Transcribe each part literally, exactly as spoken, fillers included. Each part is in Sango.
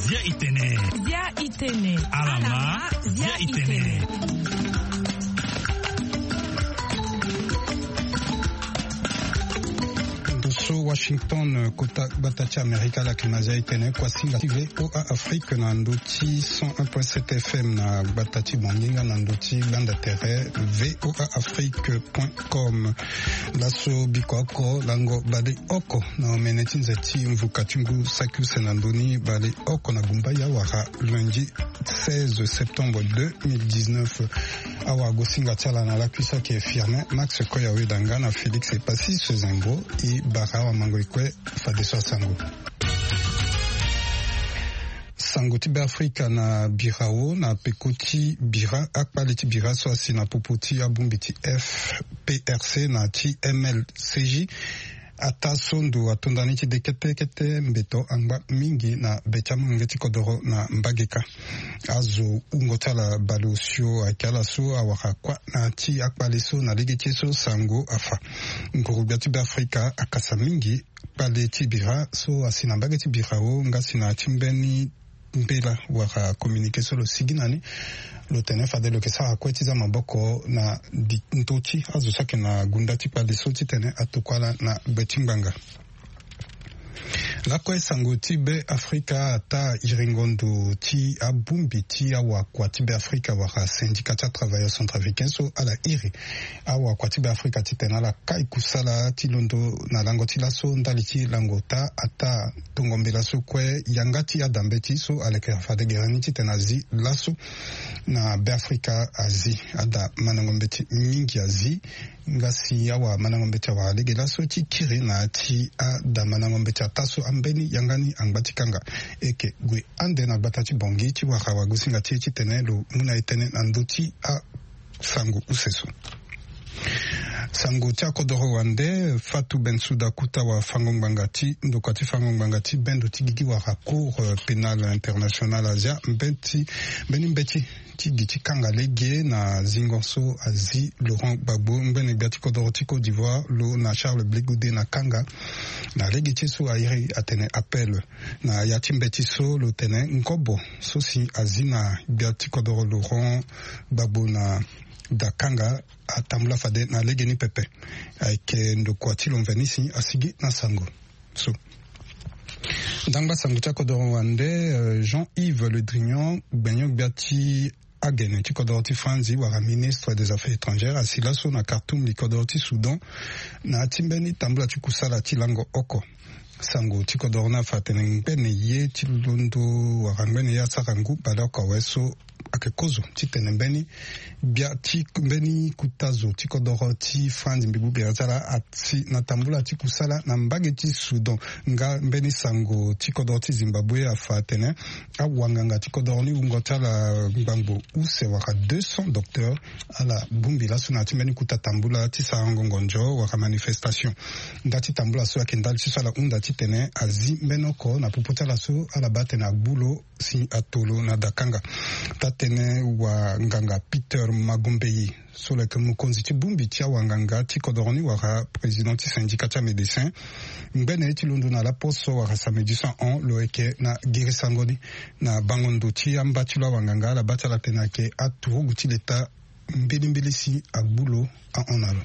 Zia itene. Zia itene. Alama. Zia itene. Ndo so Washington, kota gbata ti Amerika, ala yeke na zia itene. Kuasinga ti V O A Afrique na ndo ti cent un point sept F M na gbata ti Bongi nga na ndo ti gbanda tere V O A Afrique point com. Laso biko oko lango baleoko na omene ti nze ti mvuka ti ngu saki use na ndoni baleoko na gumba ya wara lundi seize septembre deux mille dix-neuf. Awagosinga ti ala na lakui so ayeke Firmin Max Koya Wedanga na Félix Epassis Zengo. E bara awamango e kue fadeso asango. Sango ti Beafrika na birao na peko ti bira akpale ti bira so asi na popo ti abongbi ti F P R C na ti M L C J. Ataa so ndo ato ndani ti de kete kete mbeto angba mingi na be ti amolenge ti kodoro na mbage kâ. Azo wungo ti ala baleosio ayeke ala so awara kuâ na ti akpale so na lege ti ye so sango afa. Nguru-gbia ti Beafrika akasa mingi kpale ti bira so asi na mbage ti birao nga asi na ya ti mbeni mbela wala communiqué so lo sigi na ni. Lo tene fade lo yeke sara kue ti za maboko na di ndö ti azo so ayeke na gunda ti kpale so titene atokua ala na gbe ti ngbanga. Lakue sango ti Beafrika ataa iringo ndo ti abongbi ti awakua ti Beafrika wala syndicat ti atravailleur centrafricain so ala iri awakua ti Beafrika titene ala kai kusala ti londo na lango ti laso ndali ti lango ota ataa tongo mbela so kue yanga ti ada mbeti so aleke fade gere ni titene azi laso na Beafrika azi. Ada mandango mbeti mingi azi nga si awamandango mbeti awara lege laso ti kiri na ya ti ada mandango mbeti ataa so ambeni yanga ni angba ti kanga. E yeke gue ande na gbata ti Bongi ti wara wagosinga ti e titene lo mu na e tënë na ndö ti a sango use so. Sango ti akodoro wande, Fatou Bensouda Kouta wafango ngbanga ti ndokua ti fango ngbanga ti bendo ti gigi wala Cour, euh, pénale internationale azia mbeti, mbeni mbeti ti gi ti kanga lege na zingo so azi Laurent Gbagbo ngbene gbia ti kodoro ti Côte d'Ivoire lo na Charles Blé Goudé na kanga. Na lege ti ye so airi atene appel. Na ya ti mbeti so lo tene ngobo so si azi na gbia ti kodoro Laurent Gbagbo na dakanga atambula fade na legeni pepe. Ayeke ndokua ti lo mveni si asigi na sango so. Ndangba sango ti akodoro wande, euh, Jean-Yves Le Drian, gbenyo-gbia ti agene ti kodoro ti Franzi wala ministre des Affaires étrangères asi laso na Khartoum li kodoro ti Soudan na ya ti mbeni tambula ti kusala ti lango oko. Sango ti kodoro ni afa atene ngbene ye ti londo wala ngbene ye asara ngu baleoko awe so ayeke kozo titene mbeni gbia ti mbeni kuta zo ti kodoro ti Franzi mbi gbu gere ti ala asi na tambula ti kusala na mbage ti Soudan. Nga mbeni sango ti kodoro ti Zimbabwe afa atene awanganga ti kodoro ni wungo ti ala ngbangbo use wala deux cents docteurs ala bongbi laso na ya ti mbeni kuta tambula ti sarango ngonzo wala manifestation. Nda ti tambula so ayeke ndali ti so ala hunda titene azi mbeni oko na popo ti ala so ala baa atene agbu lo si ato lo na dakanga. Taa-tënë wanganga Peter Magombeyi so lo yeke mokonzi ti bongbi ti awanganga ti kodoro ni wala président ti syndicat ti amédecin ngbene ye ti londo na laposo wala samedi so ahon lo yeke na girisango ni. Na bango ndo ti amba ti lo awanganga ala baa ti ala atene ayeke aturugu ti leta mbilimbili si agbu lo ahon na lo.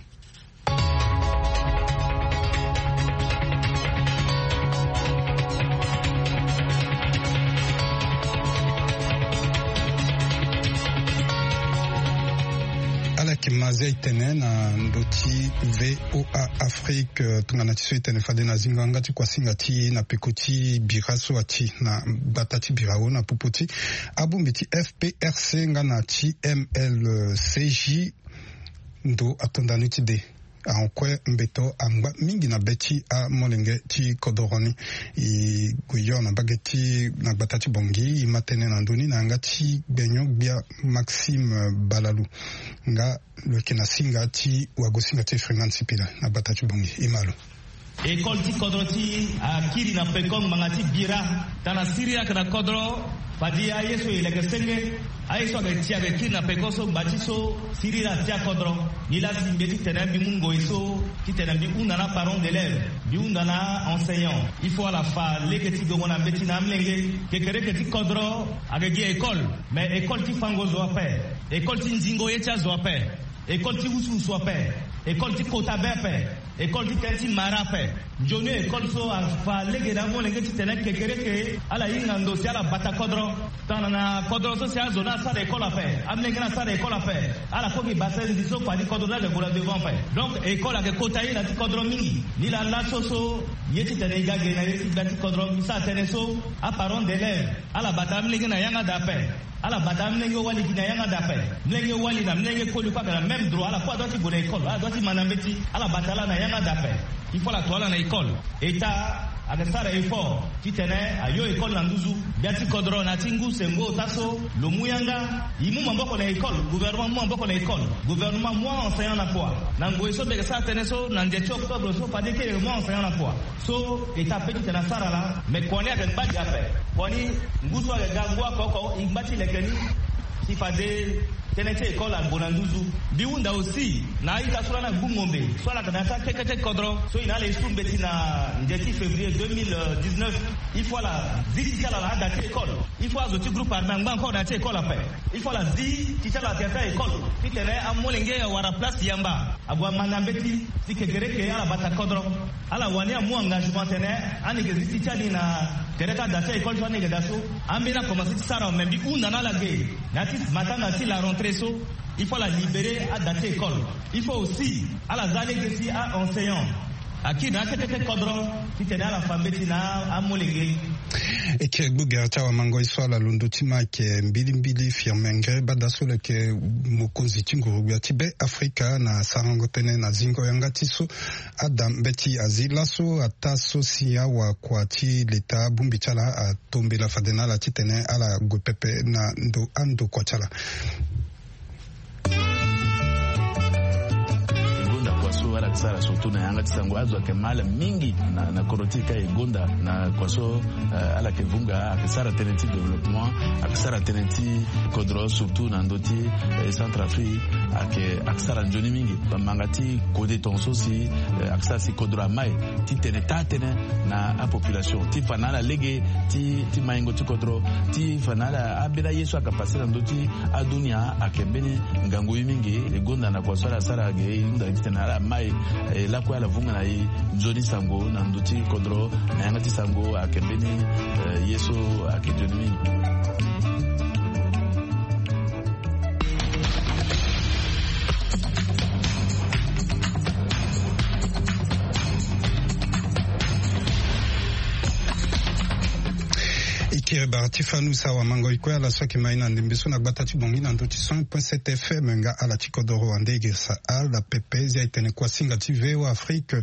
Ala yeke ma zia itene na ndo ti V O A Afrique, tongana ti so itene fade na zingo yanga ti kuasinga ti e na peko ti bira so ati na gbata ti birao na popo ti abongbi ti F P R C nga na ti M L C J. Ndo ato ndani ti de ahon kue mbeto angba mingi na be ti amolenge ti kodoro ni. E gue yo na mbage ti na gbata ti Bongi e ma tënë na ndö ni na yanga ti gbenyo-gbia Maxime Balalu nga lo yeke na singa ti wagosinga ti Freeman Sipila na gbata ti Bongi. E ma lo. École ti kodro ti e akiri na peko ngbanga ti bira. Tana siri ayeke na kodro, fadi aye so e leke senge. Aye so ayeke ti ayeke kiri na peko so ngba ti so siriri atia kodro. Ni laa si mbi ye titene mbi mu ngoi so titene mbi hunda na aparent d'élève, mbi hunda na aenseignant. Il faut ala fa lege ti gongo na mbeti na amolenge. Kekereke ti kodro ayeke gi école, mais école ti fango zo ape, école ti nzingo ye ti azo ape, école ti wusuwusu ape, école ti kota be ape, école ti tënë ti mara ape. Nzoni école so afa lege na amolenge titene kekereke ala hinga ndo si ala bata kodro. Tongana na kodro so si azo ni asara école ape, amolenge ni asara école ape, ala koki basa nzi so fani kodro ni ayeke gue na devant ape. Donc école ayeke kota ye na ti kodro mingi. Ni laa laso so ye titene e ga ge na ye ti gbia ti kodro, e sara tënë so aparent d'élève ala bata amolenge na yanga daa ape. Ala bata amolenge wali gi na yanga daa ape. Molenge wali na molenge koli kue ayeke na même droit, ala kue adua ti gue na école, ala dua ti ma na mbeti, ala bata ala na yanga daa ape. Il faut ala to ala na école. État ayeke sara effort titene ayo école na nduzu. Gbia ti kodro na ya ti ngu sengo ota so lo mu yanga, e mu maboko na école, gouvernement amu maboko na école, gouvernement amu aenseignant na kua. Na ngoi so mbi yeke sara tënë so na nze ti octobre so fade kiri e mu aenseignant na kua. So état peut titene asara laa, mais kua ni ayeke ngba gi ape. Kua ni ngu so ayeke ga ngu oko oko, e ngba ti leke ni si fade tënë ti école ague na nduzu. Mbi hunda aussi na a-ita so lani agbu ngombe so ala yeke na ya ti akekete kodro so e na ala e su mbeti na nze ti février deux mille dix-neuf. Il faut ala zi ti ti ala na ada ti école. Il faut azo ti groupe armé angba encore na ya ti école ape. Il faut ala zi ti ti ala na tere ti école titene amolenge awara place yamba, ague ama na mbeti. Si kekereke ala bata kodro, ala wani amu engagement tene ani yeke zi ti ti ani na tere ti ada ti école so ani yeke daa so. Ambeni akomanse ti sara, me mbi hunda na ala ge na ya ti matanga ti la rentrée so, il faut ala libérer ada ti école. Il faut aussi ala za lege si aenseignant akiri na akekete kodro titene ala fa mbeti na amolenge. E kiri gbu gere ti awamangoi so ala londo ti ma ayeke mbilimbili Firmin Ngré Bada so lo yeke mokonzi ti nguru-gbia ti Be Afrika na sarango tënë na zingo yanga ti so ada mbeti azi laso ataa so si awakua ti leta abongbi ti ala atombela fade na ala titene ala gue pepe na ndo andokua ti ala. E gonda kua so ala yeke sara surtout na yanga ti sango, azo ayeke ma ala mingi na, na kodro ti e ka e gonda na kua so, eh, ala yeke vunga, ayeke sara tënë ti développement, ayeke sara tënë ti kodro surtout na ndö ti, eh, Centrafrique, ayeke, ayeke sara nzoni mingi. Bamanga ti kode tongaso si, eh, ayeke sara si kodro amai ti tene taa tënë na apopulation ti fa na ala lege ti, ti maingo ti kodro, ti fa na ala ambeni aye so ayeke pase na ndö ti adunia ayeke mbeni ngangu ye mingi. E gonda na kua so ala sara ge, e hunda titene ala mai, eh, lakue ala vunga na e nzoni sango na ndö ti kodro na yanga ti sango ayeke mbeni, eh, ye so ayeke nzoni mingi. E kiri bara ti fanu sa wamangoi kue ala so ayeke ma e na ndembe so na gbata ti Bangui na ndö ti cent point sept F M nga ala ti kodoro wande e girisa ala pepe zia e tene kuasinga ti V O A Afrique.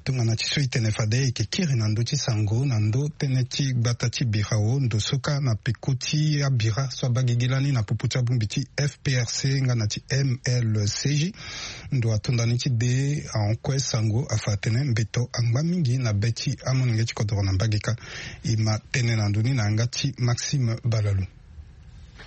Tongana ti so e tene fade e yeke kiri na ndö ti sango na ndö tënë ti gbata ti birao ndo so kâ na peko ti abira so abaa gigi lani na popo ti abongbi ti F P R C nga na ti M L C J. Ndo ato ndani ti de ahon kue sango afa atene mbeto angba mingi na be ti amolenge ti kodoro na mbage kâ. E ma tënë na ndö ni na yanga ti Maxime Balalu.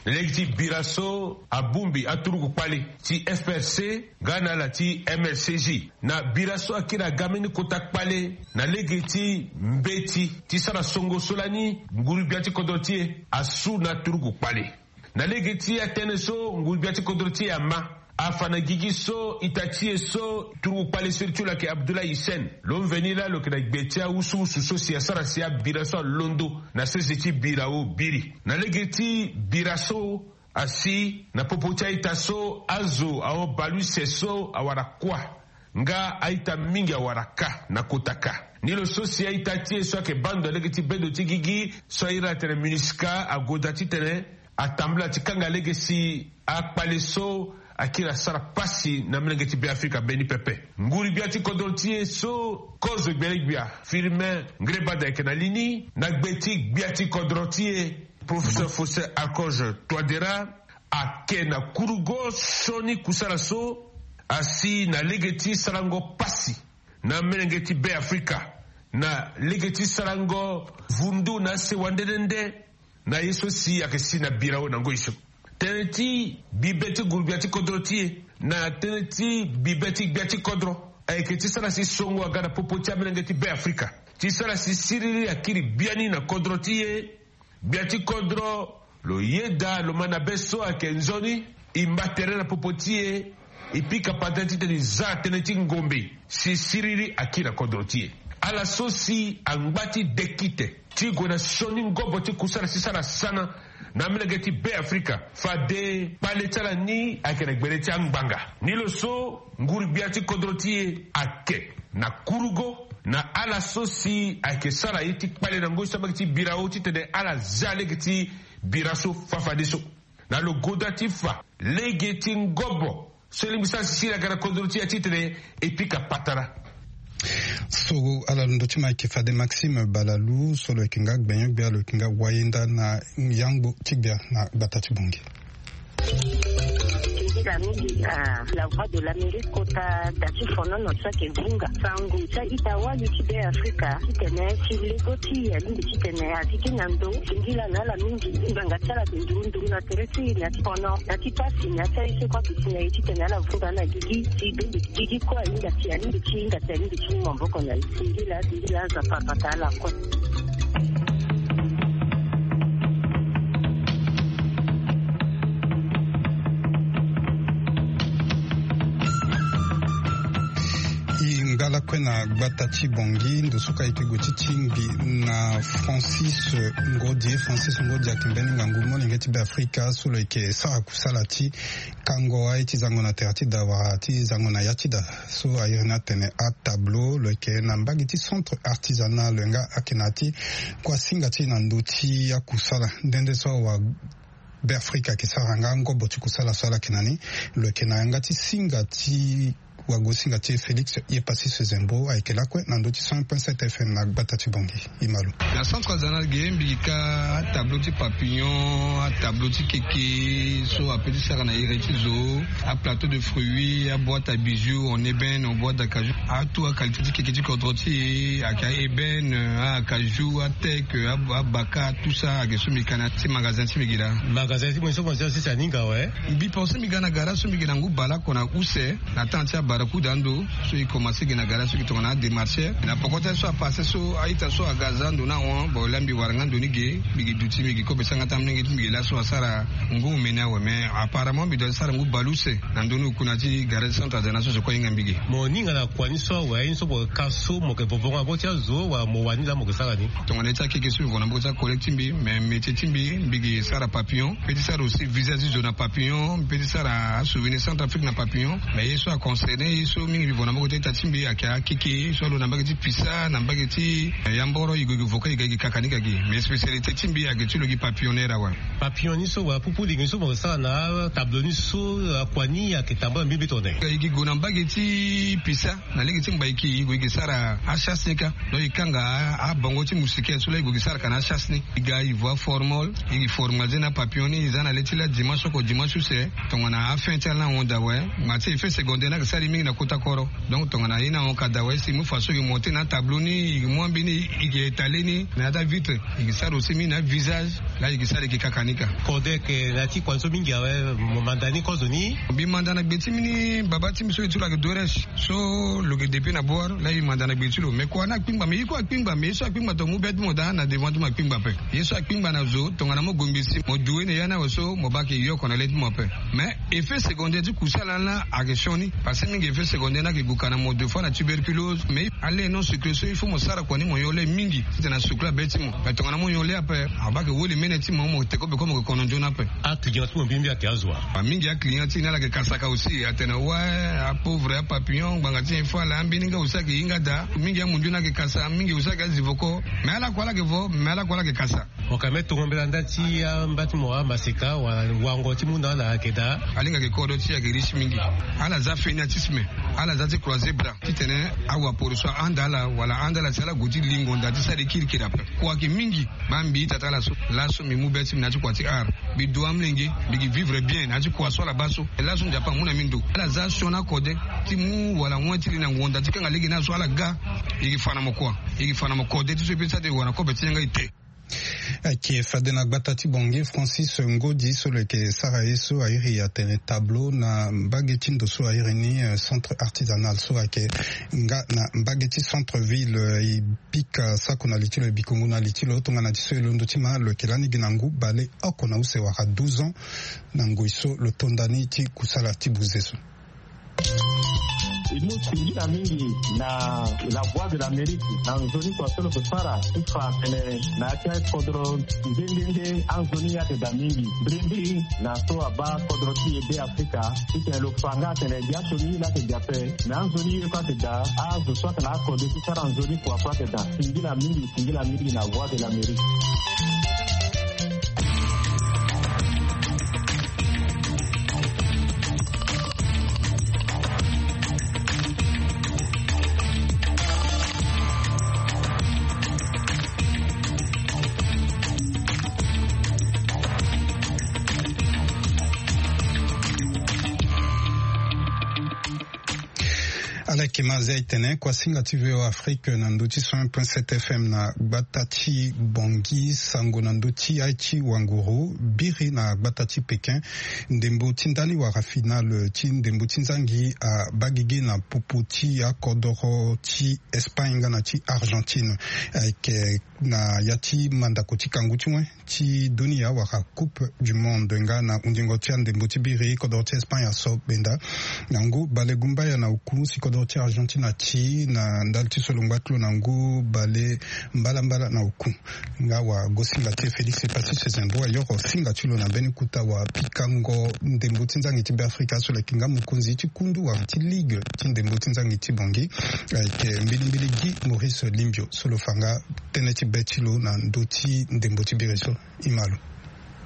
Na lege ti bira so abongbi aturugu kpale ti F P R C nga na ala ti M L C J, na bira so akiri aga mbeni kota kpale na lege ti mbeti ti sara songo so lani nguru-gbia ti kodro ti e asu na aturugu kpale. Na lege ti atënë so nguru-gbia ti kodro ti e ama, afa na gigi so ita ti e so turugu kpale siriri ti lo ayeke Abdoulaye Hissène, lo mveni laa lo yeke na gbe ti awusuwusu so si asara si abira so alondo na sese ti birao biri. Na lege ti bira so asi na popo ti a-ita so azo ahon bale use so awara kua nga a-ita mingi awara kâ na kota kâ. Ni lo so si a-ita ti e so ayeke baa ndo na lege ti bendo ti gigi so a iri atene MINUSCA ague daa titene atambula ti kanga lege si akpale so akiri asara pasi na molenge ti Beafrika mbeni pepe. Nguru-gbia ti kodro ti e so kozo gbelegbia Firmin Ngrébada ayeke na li ni na gbe ti gbia ti kodro ti e, Professeur Faustin Archange Touadéra, ake na kurugo sioni kusala so asi na lege ti sarango pasi na melenge ti Beafrika na lege ti sarango vundu na sewa nde nde nde na ye so si ayeke si na birao na ngoi so. Tënë ti bibe ti nguru-gbia ti kodro ti e na tënë ti bibe ti gbia ti kodro ayeke ti sara si songo aga na popo ti amolenge ti Be Afrika ti sara si siriri akiri biani na kodro ti e. Gbia ti kodro lo yeda lo ma na be so ayeke nzoni e mba tere na popo ti e. E pika pata titene e za tënë ti ngombe si siriri akiri na kodro ti e. Ala so si angba ti dekite ti gue na sioni ngobo ti kusala si sara sana na amolenge ti Be Afrika fade kpale ti ala ni ayeke na gbele ti angbanga. Ni lo so nguru-gbia ti kodro ti e ayeke na kurugo na ala so si ayeke sara ye ti kpale na ngoi so ambage ti bira o titene ala zia lege ti bira so fafadeso. Na lo goda ti fa lege ti ngobo so lingbi sara sisiri aga na kodro ti e titene e pika patara. So ala londo ti ma ayeke fade Maxime Balalu so lo yeke nga gbenyo-gbia lo yeke nga wayenda na yangbo ti gbia na gbata ti Bongi. Nzila mingi na La Voix de l'Amérique kota da ti fonono so ayeke vunga sango ti a-ita wali ti Be Afrika titene si lego ti e alingbi titene a tiki na ndo. Singila na ala mingi ngbanga ti ala ayeke nduru nduru na tere ti e na ya ti fono na ya ti pasi na ya ti aye so kue aduti na e titene ala vunga na gigi si bembe gigi kue ahinga ti alingbi ti hinga ti alingbi ti mu maboko na e. Singila singila Nzapa abata ala kue. E ngba lakue na gbata ti Bongi ndo so ka e yeke gue ti tingbi na Francis Ngodi. Francis Ngodi ayeke mbeni ngangu molenge ti Be Afrika so lo yeke sara kusala ti kango aye ti zango na tere ti da wala ti zango na ya ti da so a iri ni atene atableau lo yeke na mbage ti centre artisanal lo yanga ayeke na ya ti kua singa ti e na ndö ti akusala nde nde so awa Be Afrika ayeke sara nga ngobo ti kusala so ala yeke na ni. Lo yeke na yanga ti singa ti wago singa ti e Félix Yepassis Zembo ayeke lakue na ndö ti cent point sept F M na gbata ti Bongi. Imalo. Na centre artisanal ge mbi ka atableau ti papillon, atableau ti keke so ape ti sara na iri ti zo, aplateau de fruits, aboîte à bijoux en ébène, en boîte d'acajou, atout aqualité ti keke ti kodro ti e ayeke aébène, acajou, ateke, abaka, tout ça ayeke so mbi ka na ti magasin ti mbi gi laa. Magasin ti mbi so mo ti asisi aninga awe. Mbi pense mbi ga na gara so mbi gi na ngu baleoko na use. Na temps ti abarakuda ando so e commence gi na gara so gi tongana ademarcher na poko ti aye so apasse so a-ita so aga aza ando ni ahon. Bon laa mbi wara nga ndo ni ge mbi gi duti mbi gi kobe sanga ti amolenge ti mbi gi laso asara ngu omeni awe mais apparemment mbi doit ti sara ngu baleuse na ndö ni oku na ya ti gara ti centre artisanal so so kue ahinga mbi ge. Mo ninga na kua ni so awe aye ni so mo ka so mo yeke vovo nga na boko ti azo wala mo wani laa mo yeke sara ni? Tongana ye ti akeke so mbi vo na boko ti acollègue ti mbi mais métier ti mbi mbi gi sara papillon mbi pe ti sara aussi visage ti zo na papillon mbi pe ti sara asouvenir centre afrique na papillon. Mais ye so aconcerné ye so mingi mbi vo na mbage ti ita ti mbi ayeke akeke so alo na mbage ti pisa na mbage ti yamboro e gue gi voka e ga e gi kaka ni ga gi mais spécialité ti mbi ayeke ti lo gi papillonneur awe. Papillon ni so wala pupu lege ni so mo sara na atableau ni so akua ni ayeke tambula mbi mbi tongana e gi gue na mbage ti pisa na lege ti mbaiki e gue e gi sara achasse ni kâ. Donc e kanga abongo ti moustiquaire so laa e gue e gi sara ka na achasse ni. E ga e vo aformol e gi formaliser na papillon ni e za na le ti laa dimanche oko dimanche use. Tongana afin ti ala ni ahon daa awe. Ngba ti effet secondaire ni ayeke sara e mingi na kota koro. Donc tongana ye ni ahon ka daa awe si e mu façon e gi monter na atableau ni e gi mu ambeni e gi étaler ni na ya ti avitre e gi sara aussi mingi na avisage. Laa e gi sara e gi kaka ni kâ. Kode ayeke na ya ti kua ni so mingi awe. Mo manda ni kozo ni. Mbi manda na gbe ti mbi ni baba ti mbi so e ti lo ayeke doresh. So lo yeke depuis na bor laa e manda na gbe ti lo mais kua ni akpingba mais ye kue akpingba mais ye so akpingba tongana mu be ti mo daa na devant ti mo akpingba ape. Ye so akpingba na zo tongana mo gongbi si mo due na ya ni awe so mo baa ayeke yoko na le ti mo ape. Mais effet secondaire ti kusala ni laa ayeke sioni. Parce que mingi effet secondaire ni ayeke gue ka na mo deux fois na tuberculose mais ale non sucre so il faut mo sara kua ni mo yo le mingi titene asucre abe ti mo. Mais tongana mo yo le ape abaa ayeke woli mene ti mo mo te kobe kue mo yeke kono nzoni ape. Aclient ti mo mbi mbi ayeke azo wa? Mingi aclient ti e ni ala yeke kasaka aussi atene wa apauvre apapillon ngbanga ti nyen fo ala ambeni nga aussi ayeke hinga daa. Mingi amundu ni ayeke kasa mingi aussi ayeke azi voko. Mais ala kue ala yeke vo mais ala kue ala yeke kasa. Mo ka me tongo mbela nda ti amba ti mo amaseka wala wango ti mu na ala ayeke daa. Alingbi ayeke kodro ti e ayeke riche mingi. Ala za feniatisme. Ala za ti croiser bras titene awaporo so ahanda ala wala ahanda ala si ala gue ti lingo nda ti sara e kirikiri ape. Kua ayeke mingi. Baa mbi ita ti ala so laso mbi mu be ti mbi na ya ti kua ti art. Mbi du amolenge mbi gi vivre bien na ya ti kua so ala baa so. Laso nzapa amu na mbi ndo ala za sioni akode ti mu wala wen ti li na ngonda ti kanga lege ni aso ala ga. E gi fa na mo kua? E gi fa na mo kode ti so e pe ti sara ti e wara na kobe ti yanga ete. Ayeke fade na gbata ti Bangui, Francis Ngodi so lo yeke sara ye so airi atene tableau na mbage ti ndo so airi ni, eh, centre artisanal so ayeke nga na mbage ti centre ville, eh, e pika sako na li ti lo, e bikongo na li ti lo tongana ti so e londo ti ma lo yeke lani gi na ngu baleoko na use wala douze ans na ngoi so lo tonda ni ti kusala ti buze so. E mu singila mingi na La Voix de l'Amérique na nzoni kua so lo yeke sara ti fa tene na ya ti akodro nde nde nde anzoni ye ayeke daa mingi. Mbirimbiri na so abaa kodro ti e Be Afrika titene lo fa nga atene gi aso ni ye laa ayeke daa ape, me anzoni ye kue ayeke daa, azo so ayeke na akode ti sara nzoni kua kue ayeke daa. Singila mingi, singila mingi na Voix de l'Amérique. Ala yeke ma azia e tene kuasinga ti V O A Afrique na ndö ti cent un point sept F M na gbata ti Bangui, sango na ndö ti aye ti wanguru biri na gbata ti Pékin. Ndembo ti ndani wala finale ti ndembo ti nzangi abaa gigi na popo ti akodoro ti Espagne nga na ti Argentine. Ayeke na ya ti mandako ti kangu ti wen ti dunia wala Coupe du Monde nga na hundingo ti andembo ti biri, kodoro ti Espagne aso benda na ngu balegumbaya na oku si kodoro ti Argentine ati na ndali ti so lo ngba ti lo na ngu bale mbalambala na oku. Nga wagosinga ti e Félix Epassi Sezembo ayoro singa ti lo na mbeni kota wapikango ndembo ti nzangi ti Beafrika so lo yeke nga mokonzi ti kundu wala ti ligue ti ndembo ti nzangi ti Bangui. Ayeke mbilimbili Guy Maurice Limbio so lo fa nga tënë ti be ti lo na ndö ti ndembo ti biri so. E ma lo.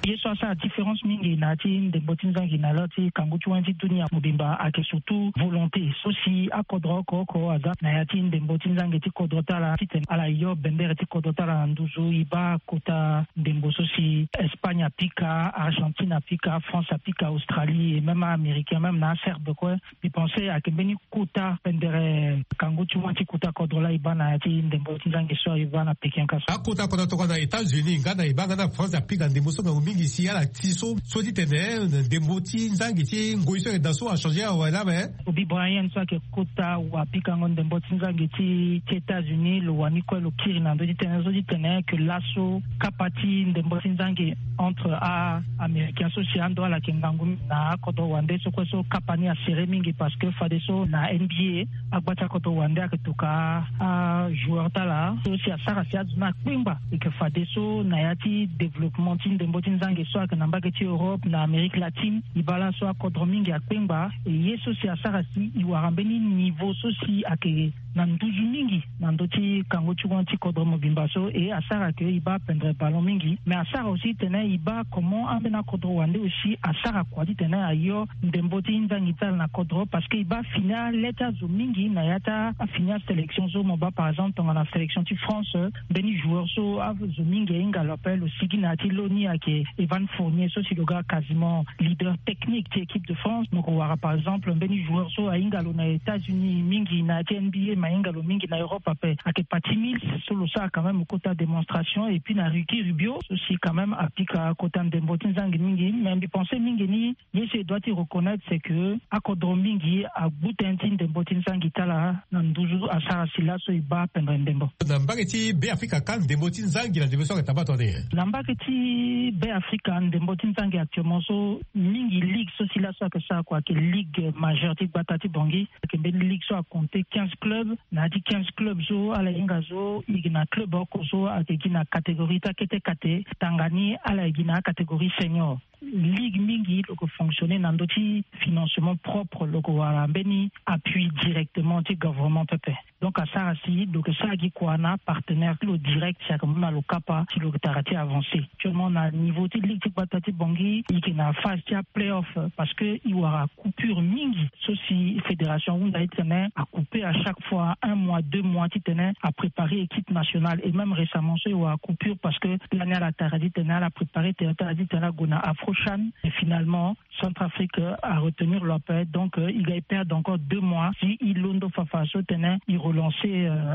Ye so asara différence mingi na ya ti ndembo ti nzangi na lo ti kangu ti wen ti dunia mobimba ayeke surtout volonté so si akodro oko oko aza na ya ti ndembo ti nzangi ti kodro ti ala titene ala yo bendere ti kodro ti ala na nduzu. E baa kota ndembo so si Espagne apika, Argentine apika, France apika, Australie et même Américain, même na Aserbe kue. Mbi pense ayeke mbeni kota pendere kangu ti wen ti kota kodro laa e baa na ya ti ndembo ti nzangi so e baa na Pékin ka so. Akota kodro tongana États-Unis nga na e baa nga na France apika ndembo so ngangu mingi si ala ti so so titene ndembo ti nzangi ti ngoi so ayeke daa so achange awe laa me. Kobe Bryant so ayeke kota wapikango ndembo ti nzangi ti ti États-Unis lo wani kue lo kiri na ndö ti tënë so titene que laso kapa ti ndembo ti nzangi entre a-Américain so si ando ala yeke ngangu mingi na akodro wande so kue so kapa ni asere mingi parce que fadeso na N B A agba ti akodro wande ayeke toka ajoueur ti ala so si asara si azo ni akpengba. E yeke fadeso na ya ti développement ti ndembo ti nzangi so ayeke na mbage ti Europe na Amérique latine e baa laso akodro mingi akpengba. E ye so si asara si e wara mbeni niveau so si ayeke na nduzu mingi na ndö ti kango ti wen ti kodro mobimba so e asara ke e baa pendre ballon mingi. Mais asara aussi titene e baa comment ambeni akodro wande aussi asara kua titene ayo ndembo ti nzangi ti ala na kodro parce que e baa fini ale ti azo mingi na ya ti afini asélection so mo baa par exemple tongana sélection ti France, mbeni joueur so azo mingi ahinga lo ape lo sigi na ya ti lo ni ayeke Evan Fournier so si lo ga quasiment leader technique ti équipe de France. Mo ko wara par exemple mbeni joueur so ahinga lo na États-Unis mingi na ya ti N B A ma ahinga lo mingi na Europe ape ayeke Patty Mills so lo sara quand même kota démonstration et puis na Ricky Rubio so si quand même apika kota ndembo ti nzangi mingi. Mais mbi pense mingi ni ye so e doit ti reconnaître c'est que akodro mingi agbu tënë ti ndembo ti nzangi ti ala na nduzu asara si laso e baa pendre ndembo. Na mbage ti Beafrika kâ ndembo ti nzangi na ndembo so ayeke taba tongana nyen? Na mbage ti Beafrika ndembo ti nzangi actuellement so mingi ligue so si laso ayeke sara kua ayeke ligue majeure ti gbata ti Bangui. Ayeke mbeni ligue so akompte quinze clubs. Na ya ti quinze clubs so ala hinga so e gi na club oko so ayeke gi na catégorie ti akete kate tanga ni ala ye gi na acatégorie senior. Ligue mingi lo yeke fonctionner na ndö ti financement propre, lo yeke wara mbeni appui directement ti gouvernement pepe. Donc asara si lo yeke sara gi kua na apartenaire ti lo direct si ayeke mu na lo kapa si lo yeke tara ti avancer. Actuellement na niveau ti ligue ti gbata ti Bangui e yeke na phase ti aplayoff parce que e wara coupure mingi so si fédération ahunda titene acouper à chaque fois un mois deux mois titene apréparer équipe nationale et même récemment so e wara coupure parce que lani ala tara titene ala préparer tene tara titene ague na affrontement au CHAN. Et finalement, Centrafrique a retenu l'appel, donc il ga perdre encore deux mois si il londo fafa so tene il relance.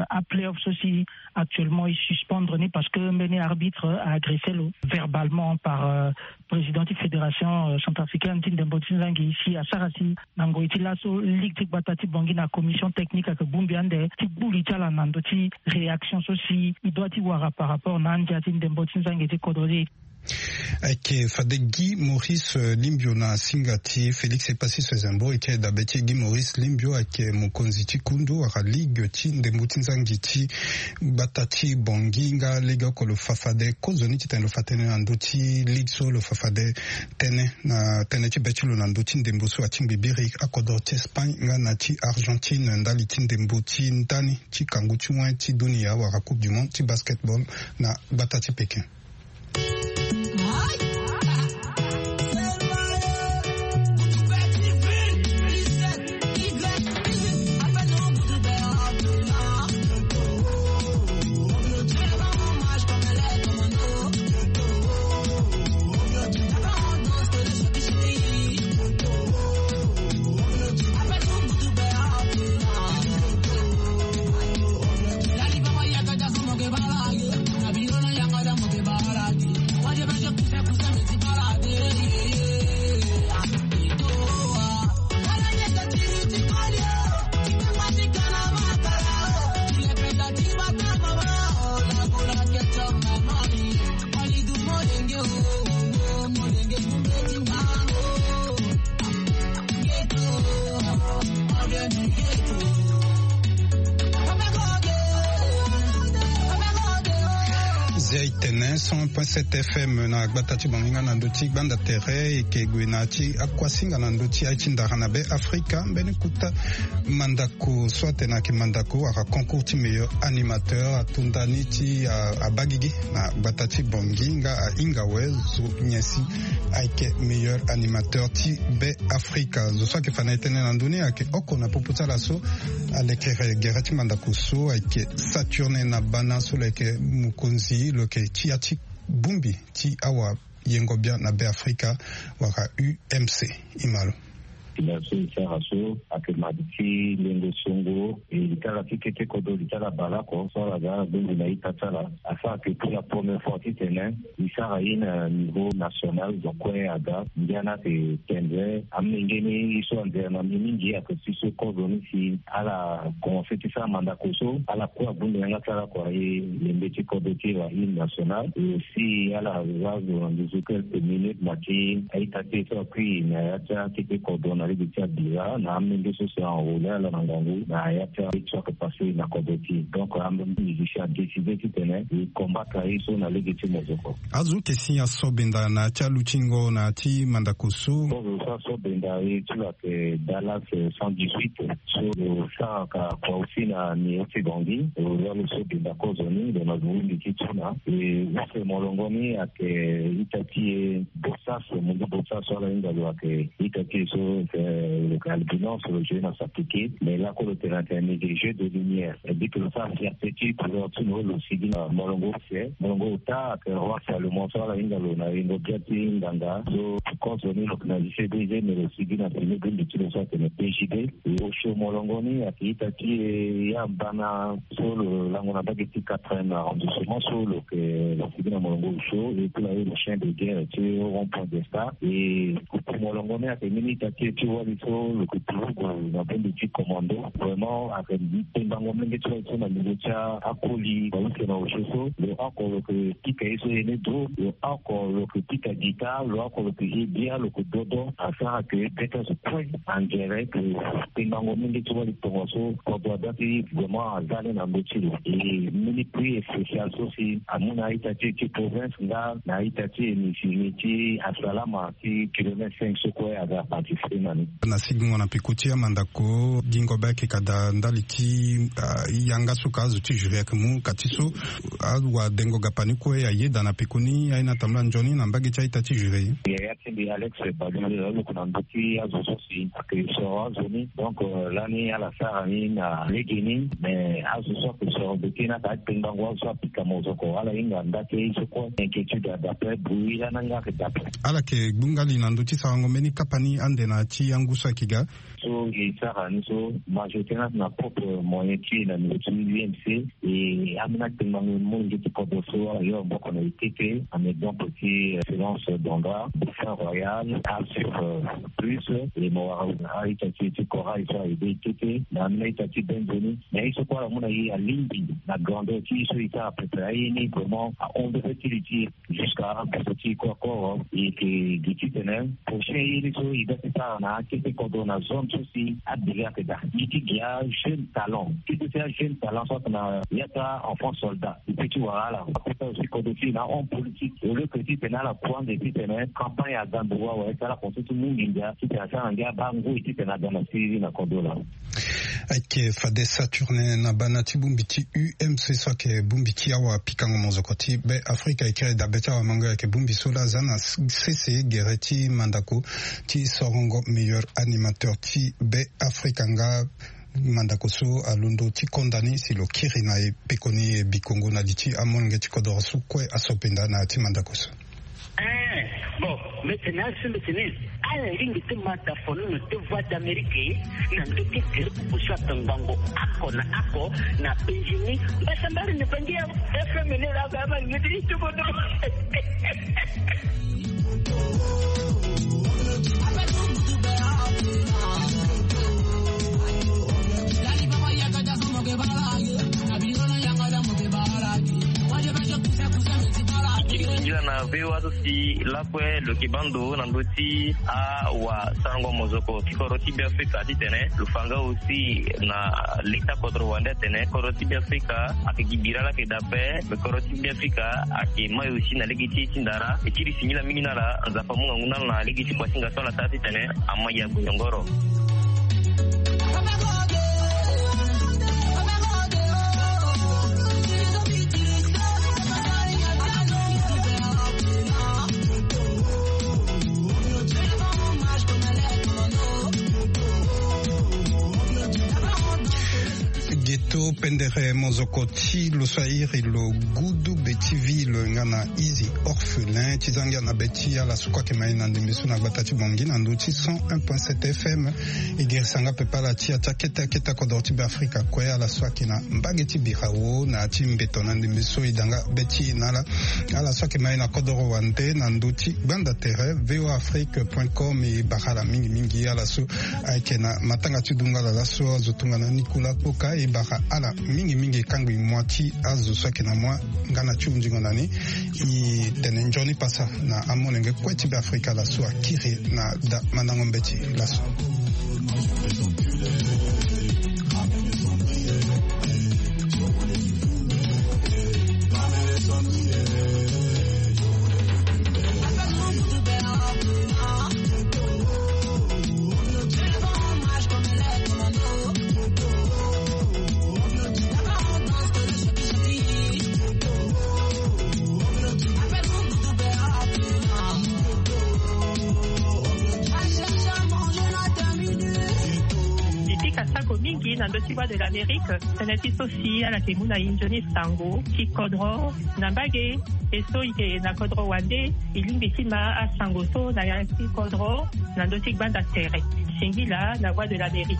A playoff so si actuellement il suspendre ni parce que mbeni arbitre a agressé lo verbalement par président ti fédération centrafricaine ti ndembo ti nzangi si asara si na ngoi ti laso ligue ti gbata ti bongi na commission technique ake bumbi ande ti buli ti ala na ndo ti réaction so si il doit ti wara par rapport na andia ti ndembo ti nzangi ti kodro ti. Ayeke fade Guy Maurice Limbio na singa ti Félix Epassis Ezembo. Eke dabe ti Guy Maurice Limbio ayeke mokonzi ti kundu wala ligue ti ndembo ti nzangi ti gbata ti bongi nga lege oko lo fa fade kozoni titene lo fa tënë na ndö ti ligue so lo fa fade tënë na tënë ti be ti lo na ndö ti ndembo so atingbi biri akodro ti Espagne nga na ti Argentine ndali ti ndembo ti ndani ti kangu ti wen ti dunia wala coupe du monde ti basketball na gbata ti Pékin. Zia itene cent un point sept F M na gbata ti bongi nga na ndö ti gbanda tere eke gue na ti akuasinga na ndö ti aye ti ndara na be Afrika. Mbeni kuta mandako so atene ayeke mandako wala concours ti meilleur animateur atonda ni ti abagigi na gbata ti bongi nga ahinga awe zo nyen si ayeke meilleur animateur ti be Afrika. Zo so ayeke fa na e tënë na ndö ni ayeke oko na popo ti ala so alekere gere ti mandako so ayeke Saturnin na bana so lo yeke mokonzi lo yeke ti ya ti bongbi ti awayengo bian na be Afrika wala U M C. Imalo. Merci sara so ake madi ti lengo songo e litala ti kete kodo litala baleoko so ala ga ala bongbi na ita ti ala. Asara ke pour la première fois titene e sara ye na niveau national. Donc kue aga ngia na ake tendre amenge ni ye so anzere na mbi mingi ake si so kozo ni si ala commence ti sara mandako so ala kue abongbi yanga ti ala kua e lembe ti kodo ti e wa hymne national e si ala za zo na nduzu quelques minutes na ti a-ita ti e so akui na ya ti akete kodro na lege ti abira na amenge so si enrole ala na ngangu na ya ti aye ti so ake passe na kodro ti e. Donc amenge musicien adécide titene e combattre aye so na lege ti mozoko. Azo yeke si asobenda na ya ti alutingo na ya ti mandako so. Kozo so asobenda e ti lo ake Dallas cent dix-huit so lo saraka kua aussi na ni ti bongi lo ya lo so benda kozo ni lo na lo windi ti tuna e use molongo ni ake ita ti e bosas mundu bosas so ala hinga lo ake ita ti e so lo ke albinos lo joue na sapike mais lako lo tene atene ni ke jeu de lumière e dit que lo sara fierté ti couleur ti lo lo sigi na molongo use molongo ota ake roi salomon so ala hinga lo na yengo bia ti nganga so kozo ni lo ke na lycée deuxième lo sigi na premier bimbi ti lo so atene P J D. Osio molongo ni ake ita ti e ya mbana so lo lango na mbage ti quatrième arrondissement so lo ke lo sigi na molongo osio e kula ye le chien de guerre ti rond point de star e kuku molongo ni ake mbeni ita ti e ti wali so lo ke turugu na bongbi ti commando vraiment ake pembango mlenge ti wali so na niveau ti akoli bawuse na osio so lo oko lo ke pika ye so ye ni do lo oko lo ke pika guitare lo oko lo ke ye bia lo ke dodo asara ke beta so kue. Angere ke tengango mingi ti wali tongaso kodro ada ti vraiment aza ni na ndö ti lo e mbeni prix spécial so si amu na a-ita ti e ti province nga na a-ita ti e ni si ni ti asalama ti kilomètre cinq so kue aga participer na ni. Na sigingo na peko ti amandako gingo be ayeke ka Da ndali ti yanga so ka azo ti jury ayeke mu ka ti so awadengo gapani kue ayeda na pekoni aye na tambula nzoni na mbage ti a-ita ti jury. Yaya ti mbi Alex Badou, aluku na ndö ti azo so si ayeke soro azo ni. Donc lani ala sara ni na legeni, mais azo so ayeke soro bete ni ayeke atengbango azo so apika mozoko. Ala hinga nda ti ye so kue inquiétude adape, bruit lani nga ayeke dape. Ala yeke gbu nga li na ndö ti sarango mbeni kapa ni ande na ya ti angu so ayeke ga. So e sara ni so majorité na na propre moyen ti e na niveau ti U M C. E ambeni atengbango molenge ti kodro so ala yo maboko na e tete, en exemple ti Excellence Dondra, Dauphin Royal, Asur Plus, e mo wara a-ita ti e ti Corail so a-aidé e tete na ambeni a-ita ti Benzoni. Mais ye so kue ala mu na e alingbi na grandeur ti ye so e sara pepe aye ni vraiment ahon mbeni ti li ti e. Jusqu'à poso ti e kue akoro e yeke gi titene prochain ye ni so e ga ti sara na akete kodro na zone so si adélai ayeke daa. Ye ti gi ajeune talent, ti so si ajeune talent so ayeke na ya ti a-enfant soldat e peut ti wara ala. Akota aussi kodro ti e na ahomme politique, au lieu que titene ala kue ande titene campagne aga ndo wawa, e sara ala constat ti mu nginza titene asara na ngia abaa ngoi titene aga na siriri na kodro laa. Ayeke fade Saturnin na bana ti bongbi ti U M C so ayeke bongbi ti awapikango mozoko ti Be Afrika, e kiri dabe ti awamango, ayeke bongbi so laa aza na sese gere ti mandako ti sorongo meilleur animateur ti Be Afrika nga mandako so alondo ti konda ni si lo kiri na e pekoni e bikongo na li ti amolenge ti kodoro so kue aso penda na ya ti mandako so. Eh, bon, mbi tene asu mbi tene ala lingbi ti ma da fono na te Voix d'Amérique na ndö ti groupe so atongbango oko na oko na Benjini. Mbasambari ni bangi ya F M ni la ga ma ngiti itubodo. Singila na V O A so si lakue lo yeke baa ndo na ndö ti awasarango mozoko ti kodro ti Be Afrika titene lo fa nga aussi na leta kodro wande atene kodro ti Be Afrika ayeke gi bira laa ayeke daa ape. Me kodro ti Be Afrika ayeke mai aussi na lege ti e ti ndara. E kiri singila mingi na ala, Nzapa amu ngangu na ala na lege ti kuasinga so ala sara titene ama ya gue yongoro. Geto pendere mozoko ti lo so airi lo gudu be ti vi lo nga na izi orphelin ti zangia na be ti ala so kue ayeke mai na ndembe so na gbata ti Bangui na ndö ti cent un point sept F M. E girisa nga pepe ala ti ya ti akete akete akodoro ti Be Afrika kue, ala so ayeke na mbage ti birawo na ya ti mbeto na ndembe so e da nga be ti e na ala. Ala so ayeke mai na kodoro wande na ndö ti gbanda tere V O A Afrique point com, e bara ala mingi mingi. Ala so ayeke na matanga ti dungala laso azo tongana Nicolas Kpoka, e bara ala mingi mingi. E kangbi moi ti azo so ayeke na moi nga na ti hunzingo na ni. E tene nzoni pasa na amolenge kue ti Be Afrika laso akiri na da mandango mbeti laso. E pika sako mingi na ndö ti Voix de l'Amérique. Tënë ti so si ala yeke mu na e nzoni sango ti kodro na mbage. E so e yeke na kodro wande, e lingbi ti ma asango so na ya ti kodro na ndö ti gbanda tere. Singila na Voix de l'Amérique.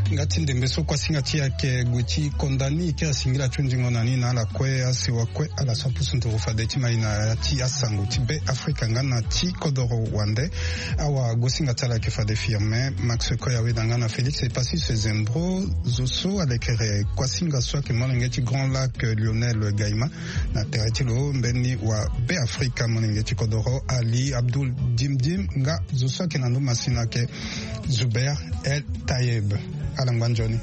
Nga ti nde Mbeso kuasinga ti ayeke gue ti konda ni, e kiri asingila ti ondingo na ni na ala kue, asewa kue ala so apusu nduru fade ti mai na ya ti asango ti Be Afrika nga na ti kodoro wande. Awagosinga ti ala ayeke fade Firmin Max Koya Weda nga na Félix Epasis Zembro, zo so alekere kuasinga so ayeke molenge ti Grand Lac, Lionel Gaima, na tere ti lo mbeni wa Be Afrika molenge ti kodoro Ali Abdul Dimdim nga zo so ayeke na ndö masina ayeke Zuber El Tayeb. Ala ngba nzoni.